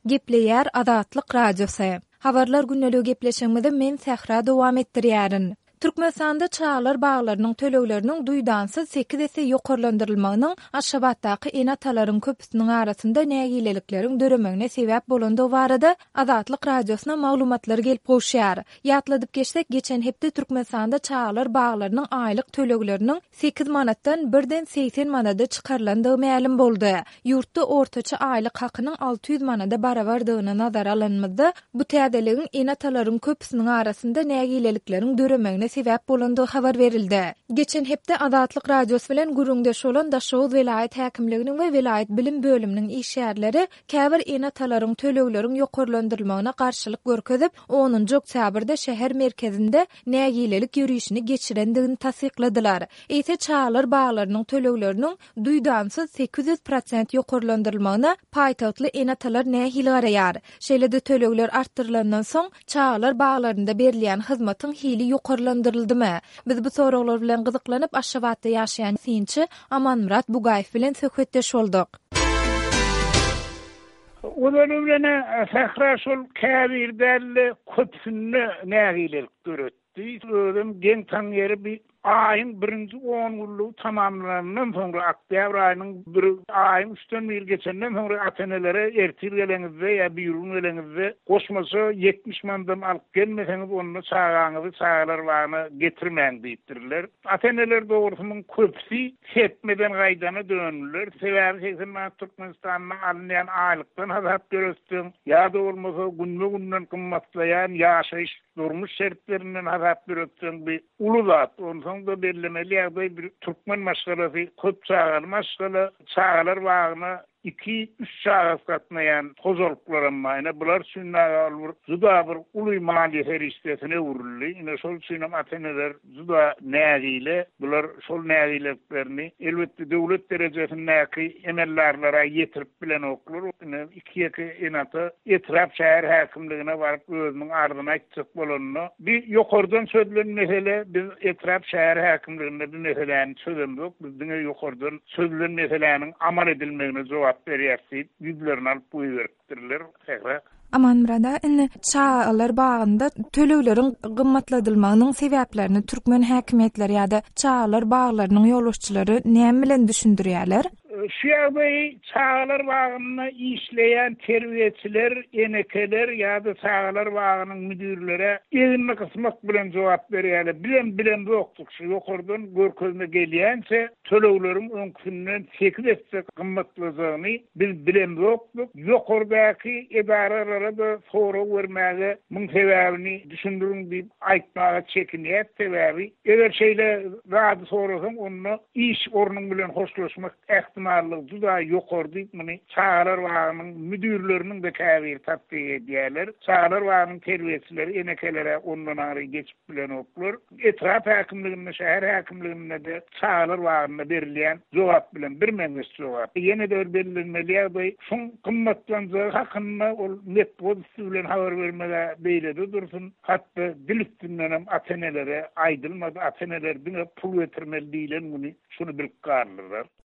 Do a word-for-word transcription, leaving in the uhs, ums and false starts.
Gepleýär Azatlyk Radiosy. Habarlar gündeligi gepleşigimizi men Sähra dowam etdirýärin. Türkmenistanda çagalar baglarynyň tölegleriniň duýdansyz sekiz esse ýokarlandyrylmagynyň Aşgabatdaky ene-atalaryň köpüsiniň arasynda nägilelikleriň döremegine sebäp bolandygy barada Azatlyk Radiosyna maglumatlar gelip gowuşýar. Ýatladyp geçsek, geçen hepde Türkmenistanda çagalar baglarynyň aýlyk tölegleriniň sekiz manatdan birden segsen manada çykarylandygy mälim boldy. Ýurtda ortaça aýlyk hakynyň alty ýüz manada barabardygyny nazara alanymyzda, bu täzeligiň ene-atalaryň köpüsiniň arasynda nägilelikleriň döremegine sebäp bolandygy habar berildi. Geçen hepde Azatlyk Radiosy bilen gürrüňdeş bolan Daşoguz welaýat häkimliginiň we welaýat bilim bölüminiň işgärleri käbir ene-atalaryň tölegleriň ýokarlandyrylmagyna garşylyk görkezip, onunjy oktýabrda şäher merkezinde nägilelik ýörişini geçirendigini tassykladylar. Eýse çagalar baglarynyň tölegleriniň duýdansyz sekiz ýüz prosent ýokarlandyrylmagyna paýtagtly ene-atalar nähili garaýar? Şeýle-de tölegler artdyrylandan soň çagalar baglarynda berilýän hyzmatyň hili ýokarlandyryldymy? Biz bu soraglar bilen gyzyklanyp, Aşgabatda ýaşaýan synçy Amanmyrat Bugaýew bilen söhbetdeş bolduk. Ozaly bilen Sähra şol käbir däl-de köpüsinde nägilelik döretdi. Özüm geň taň ýeri bir aýyň birinji on günlügi tamamlanandan soňra, oktýabr aýynyň bir aýyň üçden biri geçenden soňra ata-enelere ertir geleňizde ýa bir gün geleňizde goşmaça ýetmiş mandan alyp gelmeseňiz, onda çagaňyzy çagalar bagyna getirmäň diýipdirler. Ata-eneler dogrusynyň köpüsi serpmeden gaýdana döndüler. Sebäbi seksen manat Türkmenistanda alynýan aýlykdan hasap döretseň, ýa-da bolmasa günbe-günden gymmatlaýan ýaşaýyş durmuş şertlerinden hasap döretseň bir uly zat. Onsoň da bellemeli ýagdaý bir türkmen maşgalasy, köp çagaly maşgala, çagalar bagyna iki, üç çagasy gatnaýan hojalyklaram bar. Ine bular üçin dagy ol bir juda bir uly maliýe serişdesine öwrüldi. Ine şol üçin hem ata-eneler juda nägile, bular şol nägileliklerini elbetde döwlet derejesindäki emeldarlara ýetirip bilenoklar. Ine iki ýeke ene-ata etrap şäher häkimligine baryp özüniň arzyny aýtjak bolanda, bir ýokardan çözülen mesele, biz etrap şäher häkimliginde bir meseläni çözemzok, biz diňe ýokardan çözülen meseläniň amal edilmegine jogap berýäris diýip ýüzlerini alyp goýberipdirler. Sähra. Amanmyrada, indi çagalar bagynda tölegleriň gymmatladylmagynyň sebäplerini türkmen häkimiýetleri ýa-da çagalar baglarynyň ýolbaşçylary näme bilen düşündirýärler? Şu ýagdaýy çagalar bagynda işleýän terbiýeçiler, enekeler ýa-da çagalar bagynyň müdürlere eginini gysmak bilen jogap berýärler. Bizem bilemzokdyk, şu ýokardan görkezme gelýänçe tölegleriň öňküsinden sekiz esse gymmatlajagyny biz bilemzokdyk. Ýokardaky edaralara da sorag bermäge muň sebäbini düşündiriň diýip aýtmaga çekinýär. Sebäbi eger şeýle zady sorasaň, onda iş ornuň bilen hoşlaşmak ähtimallygy juda ýokary diýip muny çagalar bagynyň müdürleriniň de käbiri tassyk edýärler. Çagalar bagynyň terbiýeçileri enekelere ondan aňry geçip bilenoklar. Etrap häkimliginde, şäher häkimliginde de çagalar bagynda berilýän jogap bilen bir meňzeş jogap. Ýene de bir bellenmeli ýagdaý, şuň gymmatlanjagy hakynda ol metbugat üstü bilen habar bermege beýlede dursun, hatda dil üstünden hem ata-enelere aýdylmady. Ata-eneler diňe pul getirmeli diýlen güni şuny bilip galdylar.